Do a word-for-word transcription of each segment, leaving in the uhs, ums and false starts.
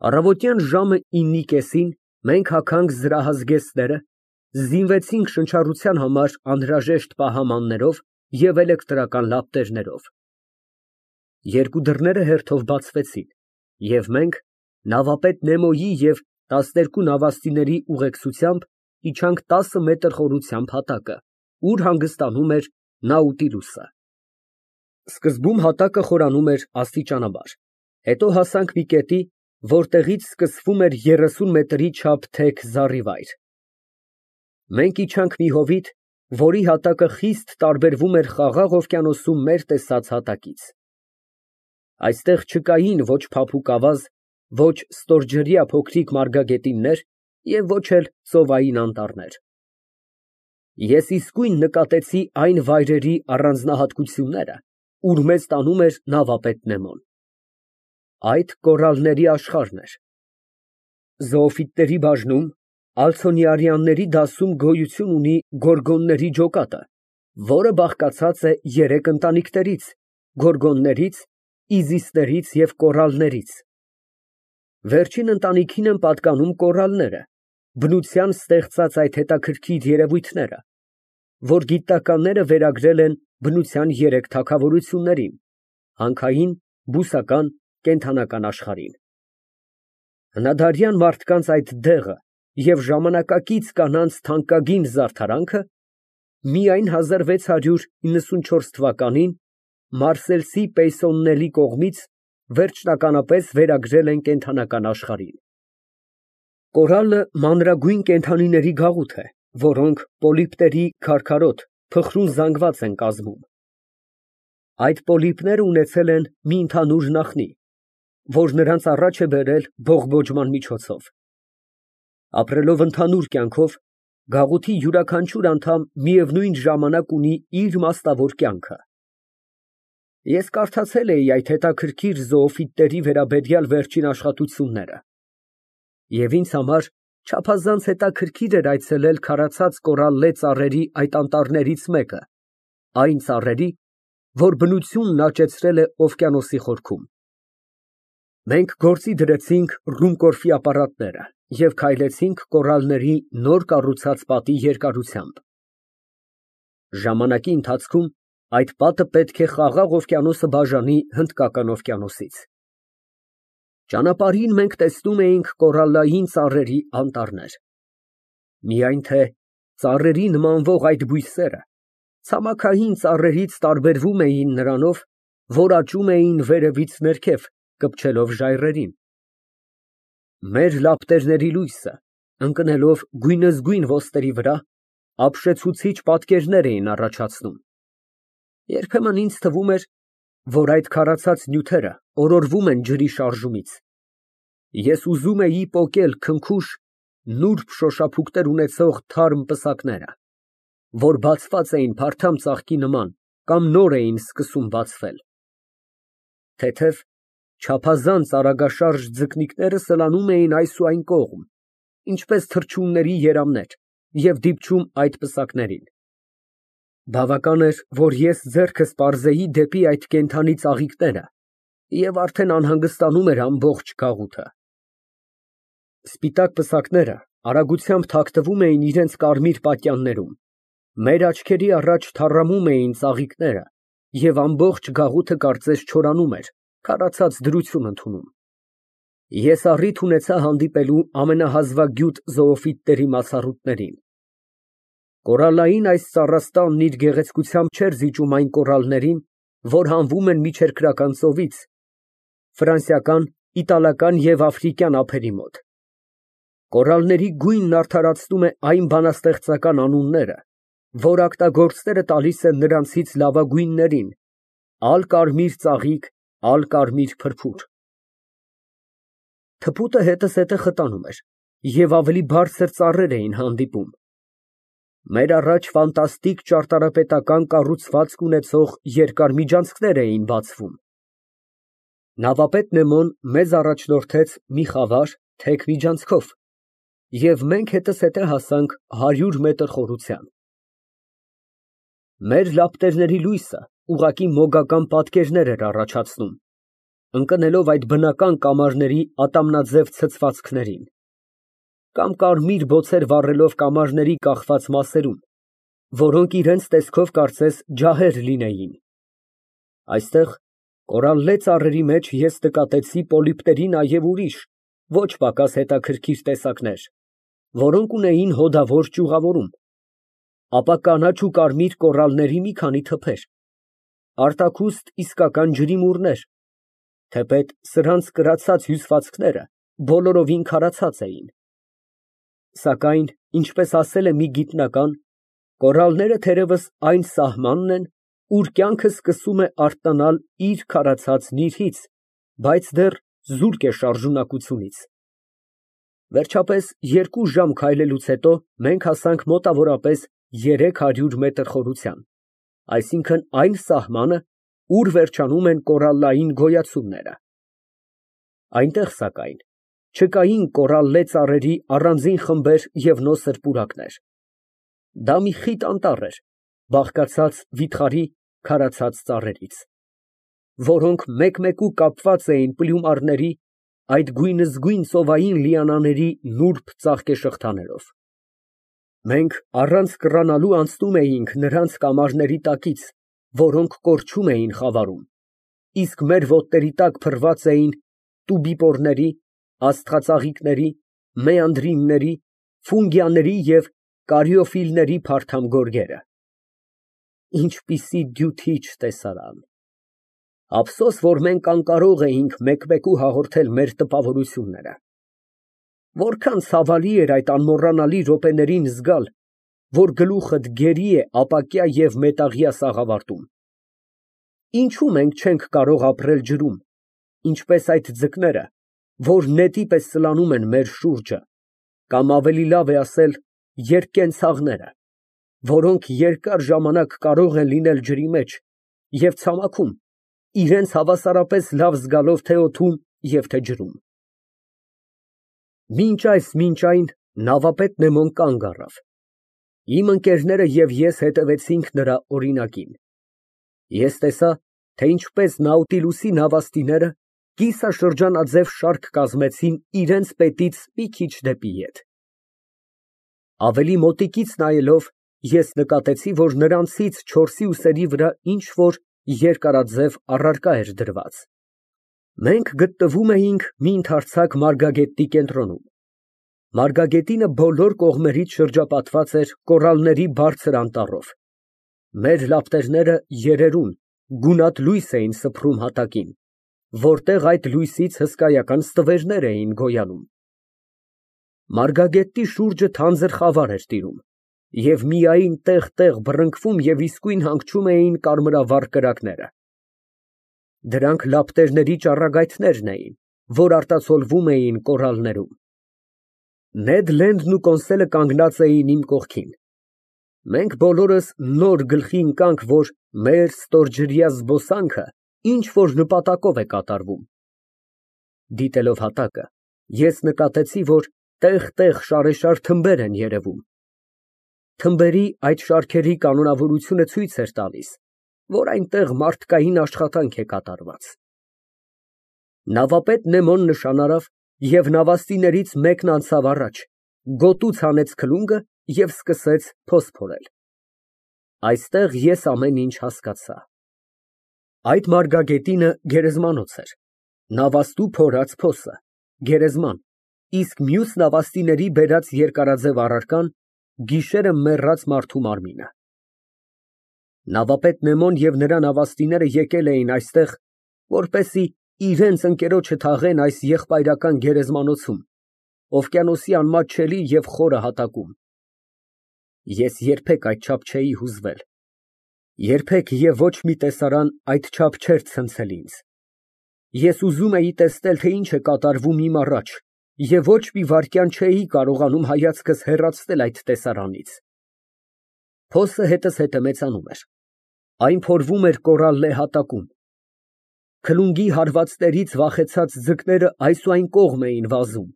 Առավոտյան ժամը իննի կեսին մենք հագանք զրահազգեստները, զինվեցինք շնչառության համար անհրաժեշտ պահամաններով և էլեկտրական լապտերներով։ Երկու դռները հերթով բացվեցին, և մենք նավապետ Նեմոյի և տասներկու նավաստիների ուղեկցությամբ իջանք տասը մետր խորությամբ հատակը, ուր հանգստանում էր Նաուտիլուսը։ Սկզբում հատակը խորանում էր աստիճանաբար, հետո հասանք մի կետի, որտեղից սկսվում էր երեսուն մետրի չափ թեք զառիվայր։ Մենք իջանք մի հովիտ, որի հատակը խիստ տարբերվում էր Խաղաղ օվկիանոսում մեր տեսած հատակից։ Այստեղ չկային ոչ փափուկ ավազ, ոչ ստորջրյա փոքրիկ մարգագետիններ և ոչ էլ ծովային անտառներ։ Ես իսկույն նկատեցի այն վայրերի առանձնահատկությունները, ուր մեզ տանում էր նավապետ Նեմոն։ Այդ կորալների աշխարհն էր։ Զոոֆիտների բաժնում ալցոնիարիանների դասում գոյություն ունի գորգոնների ջոկատը, որը բաղկացած է երեք ընտանիքներից՝ գորգոններից, իզիսներից և կորալներից։ Վերջին ընտանիքին են պատկանում կորալները, բնության ստեղծած այդ հետաքրքիր երևույթները, որ գիտնականները վերագրել են բնության երեք թագավորություններին՝ հանքային, բուսական, կենդանական աշխարհին։ Հնադարյան մարդկանց այդ դեղը և ժամանակակից կանանց թանկագին զարդարանքը միայն հազար վեց հարյուր իննսունչորս թվականին մարսելսի Պեյսոննելի կողմից վերջնականապես վերագրել են կենդանական աշխարհին։ Կորալը մանրագույն կենդանիների գաղութ է, որոնք պոլիպների քարքարոտ, փխրուն զանգված են կազմում։ Այդ պոլիպները ունեցել են մի ընդհանուր նախնի, որ նրանց առաջ է բերել բողբոջման միջոցով։ Ապրելով ընդհանուր կյանքով, գաղութի յուրաքանչյուր անդամ միևնույն ժամանակ ունի իր մասնավոր կյանքը։ Ես կարդացել էի այդ հետաքրքիր զոոֆիտների վերաբերյալ վերջին աշխատությունները, և ինձ համար չափազանց հետաքրքիր էր այցելել քարացած կորալլե ծառերի այդ անտառներից մեկը, այն ծառերի, որ բնությունն աճեցրել է օվկիանոսի խորքում։ Մենք գործի դրեցինք ռումկորֆի ապարատները և քայլեցինք կորալների նոր կառուցած պատի երկարությամբ։ Ժամանակի ընթացքում այդ պատը պետք է Խաղաղ օվկիանոսը բաժանի Հնդկական օվկիանոսից։ Ճանապարհին մենք տեսնում էինք կորալլային ծառերի անտառներ։ Միայն թե ծառերի նմանվող այդ բույսերը ցամաքային ծառերից տարբերվում էին նրանով, որ աճում էին վերևից ներքև, կպչելով ժայռերին։ Մեր լապտերների լույսը, ընկնելով գույնզգույն ոսկերի վրա, ապշեցուցիչ պատկերներ էին առաջացնում։ Երբեմն ինձ թվում էր, որ այդ քարացած նյութերը օրորվում են ջրի շարժումից։ Ես ուզում էի պոկել քնքուշ, նուրբ շոշափուկներ ունեցող թարմ պսակները, որ բացված էին փարթամ ծաղկի նման կամ նոր էին սկսում բացվել։ Թեթև, չափազանց արագաշարժ ձկնիկները սլանում էին այս ու այն կողմ, ինչպես թռչունների երամներ, և դիպչում այդ պսակներին։ Բավական էր, որ ես ձեռքս պարզեի դեպի այդ կենդանի ծաղիկները, և արդեն անհանգստանում էր ամբողջ գաղութը։ Սպիտակ պսակները արագությամբ թաքնվում էին իրենց կարմիր պատյաններում, մեր աչքերի առաջ թառամում էին ծաղիկները, և ամբողջ գաղութը կարծես չորանում էր, քարացած դրություն ընդունում։ Ես առիթ ունեցա հանդիպելու ամենահազվագյուտ զոոֆիտների մացառուտներին։ Կորալլային այս ծառաստանն իր գեղեցկությամբ չէր զիջում այն կորալլներին, որ հանվում են Միջերկրական ծովից, ֆրանսիական, իտալական և աֆրիկյան ափերի մոտ։ Կորալլների գույնն արդարացնում է այն բանաստեղծական անունները, որ օգտագործները տալիս են նրանցից լավագույններին՝ ալ֊կարմիր ծաղիկ, ալ֊կարմիր փրփուր։ Թփուտը հետզհետե խտանում էր, և ավելի բարձր ծառեր էին հանդիպում։ Մեր առաջ ֆանտաստիկ ճարտարապետական կառուցվածք ունեցող երկար միջանցքներ էին բացվում։ Նավապետ Նեմոն մեզ առաջնորդեց մի խավար, թեք միջանցքով, և մենք հետզհետե հասանք հարյուր մետր խորության։ Մեր լապտերների լույսը ուղղակի մոգական պատկերներ էր առաջացնում։ ընկնելով այդ բնական կամարների ատամնաձև ցցվածքներին, կամ կարմիր բոցեր վառելով կամարների կախված մասերում, որոնք իրենց տեսքով կարծես ջահեր լինեին։ Այստեղ կորալլե ծառերի մեջ ես նկատեցի պոլիպների նաև ուրիշ, ոչ պակաս հետաքրքիր տեսակներ, որոնք ունեին հոդավոր ճյուղավորում, ապա կանաչ ու կարմիր կորալների մի քանի թփեր, արտաքուստ իսկական ջրիմուռներ, թեպետ սրանց կրացած հյուսվածքները բոլորովին քարացած էին։ Սակայն, ինչպես ասել է մի գիտնական, կորալները թերևս այն սահմանն են, ուր կյանքը սկսում է արթնանալ իր քարացած նիրհից, բայց դեռ զուրկ է շարժունակությունից։ Վերջապես, երկու ժամ քայլելուց հետո մենք հասանք մոտավորապես երեք հարյուր մետր խորության, այսինքն այն սահմանը, ուր վերջանում են կորալլային գոյացումները։ Այնտեղ, սակայն, չկային կորալլե ծառերի առանձին խմբեր և նոսր պուրակներ։ Դա մի խիտ անտառ էր, բաղկացած վիթխարի քարացած ծառերից, որոնք մեկ֊մեկու կապված էին պլյումարների, այդ գույնզգույն ծովային լիանաների նուրբ ծաղկեշղթաներով։ Մենք առանց կռանալու անցնում էինք նրանց կամարների տակից, որոնք կորչում էին խավարում, իսկ մեր ոտների տակ փռված էին տուբիպորների, աստղածաղիկների, մեանդրինների, ֆունգիաների և կարիոֆիլների փարթամ գորգերը։ Ինչպիսի դյութիչ տեսարան։ Ափսոս, որ մենք անկարող էինք մեկ֊մեկու հաղորդել մեր տպավորությունները։ Որքան ցավալի էր այդ անմոռանալի րոպեներին զգալ, որ գլուխդ գերի է ապակյա և մետաղյա սաղավարտում։ Ինչո՞ւ մենք չենք կարող ապրել ջրում, ինչպես այդ ձկները, որ նետի պես սլանում են մեր շուրջը, կամ ավելի լավ է ասել, երկկենցաղները, որոնք երկար ժամանակ կարող են լինել ջրի մեջ և ցամաքում, իրենց հավասարապես լավ զգալով թե օդում և թե ջրում։ Մինչ այս մինչ այն նավապետ Նեմոն կանգ առավ։ Իմ ընկերները և ես հետևեցինք նրա օրինակին։ Ես տեսա, թե ինչպես Նաուտիլուսի նավաստիները կիսաշրջանաձև շարք կազմեցին իրենց պետից մի քիչ դեպի ետ։ Ավելի մոտիկից նայելով, ես նկատեցի, որ նրանցից չորսի ուսերի վրա ինչ֊որ երկարաձև առարկա էր դրված։ Մենք գտնվում էինք մի ընդարձակ մարգագետի կենտրոնում։ Մարգագետինը բոլոր կողմերից շրջապատված էր կորալների բարձր անտառով։ Մեր լապտերները երերուն, գունատ լույս էին սփռում հատակին, որտեղ այդ լույսից հսկայական ստվերներ էին գոյանում։ Մարգագետի շուրջը թանձր խավար էր տիրում, և միայն տեղ֊տեղ բռնկվում և իսկույն հանգչում էին կարմրավառ կրակները։ Դրանք լապտերների ճառագայթներն էին, որ արտացոլվում էին կորալներում։ Նեդ Լենդն ու Կոնսելը կանգնած էին իմ կողքին։ Մենք բոլորս նոր գլխի ընկանք, որ մեր ստորջրյա զբոսանքը ինչ֊որ նպատակով է կատարվում։ Դիտելով հատակը, ես նկատեցի, որ տեղ֊տեղ շարեշար թմբեր են երևում։ Թմբերի այդ շարքերի կանոնավորությունը ցույց էր տալիս, որ այնտեղ մարդկային աշխատանք է կատարված։ Նավապետ Նեմոն նշան արավ, և նավաստիներից մեկն անցավ առաջ, գոտուց հանեց քլունգը և սկսեց փոս փորել։ Այստեղ ես ամեն ինչ հասկացա։ Այդ մարգագետինը գերեզմանոց էր, նավաստու փորած փոսը, գերեզման, իսկ մյուս նավաստիների բերած երկարաձև առարկան գիշերը մեռած մարդու մարմինը։ Նավապետ Նեմոն և նրա նավաստիները եկել էին այստեղ, որպեսզի իրենց ընկերոջը թաղեն այս եղբայրական գերեզմանոցում, օվկիանոսի անմատչելի և խորը հատակում։ Ես երբեք այդչափ չէի հուզվել, երբեք և ոչ մի տեսարան այդչափ չէր ցնցել ինձ։ Ես ուզում էի տեսնել, թե ինչ է կատարվում իմ առաջ, և ոչ մի վայրկյան չէի կարողանում հայացքս հեռացնել այդ տեսարանից։ Փոսը հետզհետե մեծանում էր, այն փորվում էր կորալլե հատակում։ Քլունգի հարվածներից վախեցած ձկները այս ու այն կողմ էին վազում։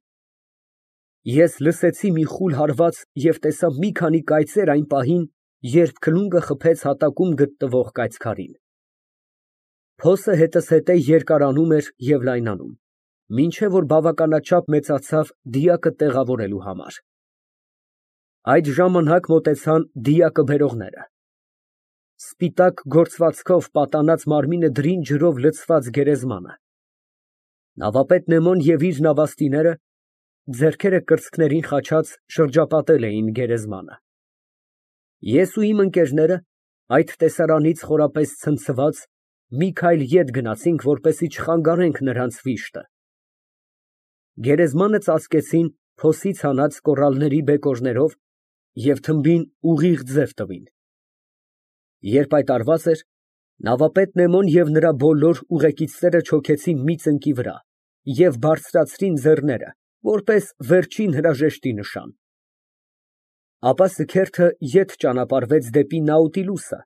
Ես լսեցի մի խուլ հարված և տեսա մի քանի կայծեր այն պահին, երբ քլունգը խփեց հատակում գտնվող կայծքարին։ Փոսը հետզհետե երկարանում էր և լայնանում, մինչև որ բավականաչափ մեծացավ դիակը տեղավորելու համար։ Այդ ժամանակ մոտեցան դիակը բերողները։ Սպիտակ գործվածքով պատանած մարմինը դրին ջրով լցված գերեզմանը։ Նավապետ Նեմոն և իր նավաստիները, ձեռքերը կրծքներին խաչած, շրջապատել էին գերեզմանը։ Ես ու իմ ընկերները, այդ տեսարանից խորապես ցնցված, մի քայլ ետ գնացինք, որպեսզի չխանգարենք նրանց վիշտը։ Գերեզմանը ծածկեցին փոսից հանած կոռալների բեկորներով և թմբին ուղիղ ձև տվին։ Երբ այդ արված էր, նավապետ Նեմոն և նրա բոլոր ուղեկիցները չոքեցին մի ծնկի վրա և բարձրացրին ձեռները, որպես վերջին հրաժեշտի նշան։ Ապա սքերթը ետ ճանապարհվեց դեպի Նաուտիլուսը։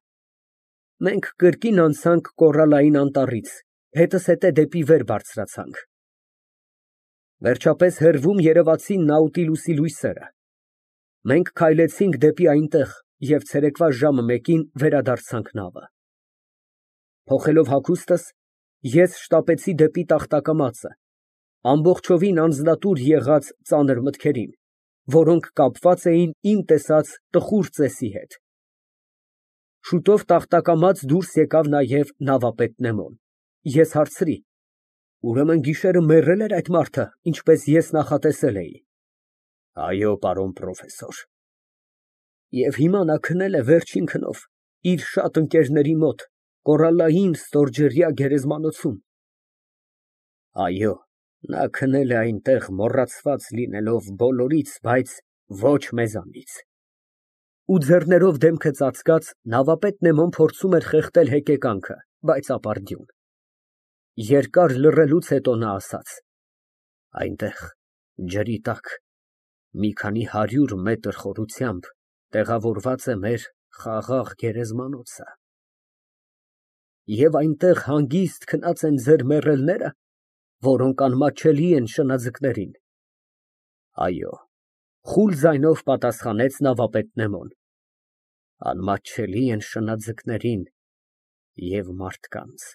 Մենք կրկին անցանք կոռալային անտառից, հետզհետե դեպի վեր բարձրացանք։ Վերջապես հեռվում երևացին Նաուտիլուսի լույսերը։ Մենք քայլեցինք դեպի այնտեղ և ցերեկվա ժամը մեկին վերադարձանք նավը։ Փոխելով հագուստս, ես շտապեցի դեպի տախտակամածը, ամբողջովին անձնատուր եղած ծանր մտքերին, որոնք կապված էին իմ տեսած տխուր ծեսի հետ։ Շուտով տախտակամաց դուրս եկավ նաև նավապետ Նեմոն։ Ես հարցրի. ուրեմն գիշերը մեռե՞լ էր այդ մարդը, ինչպես ես նախատեսել էի։ Այո, պարոն պրոֆեսոր։ Եվ հիմա նա քնել է վերջին քնով իր շատ ընկերների մոտ կոռալային ստորջրյա գերեզմանոցում։ Այո, նա քնել է այնտեղ, մոռացված լինելով բոլորից, բայց ոչ մեզանից։ (Ու ձեռներով դեմքը ծածկած, նավապետ Նեմոն փորձում էր խեղդել հեկեկանքը, բայց ապարդյուն)։ Երկար լռելուց հետո նա ասաց. այնտեղ, ջրի տակ, մի քանի հարյուր մետր խորությամբ տեղավորված է մեր խաղաղ գերեզմանոցը։ Եվ այնտեղ հանգիստ քնած են ձեր մեռելնե՞րը, որոնք անմատչելի են շնաձկներին։ Այո, խուլ ձայնով պատասխանեց նավապետ Նեմոն, անմատչելի են շնաձկներին և մարդկանց։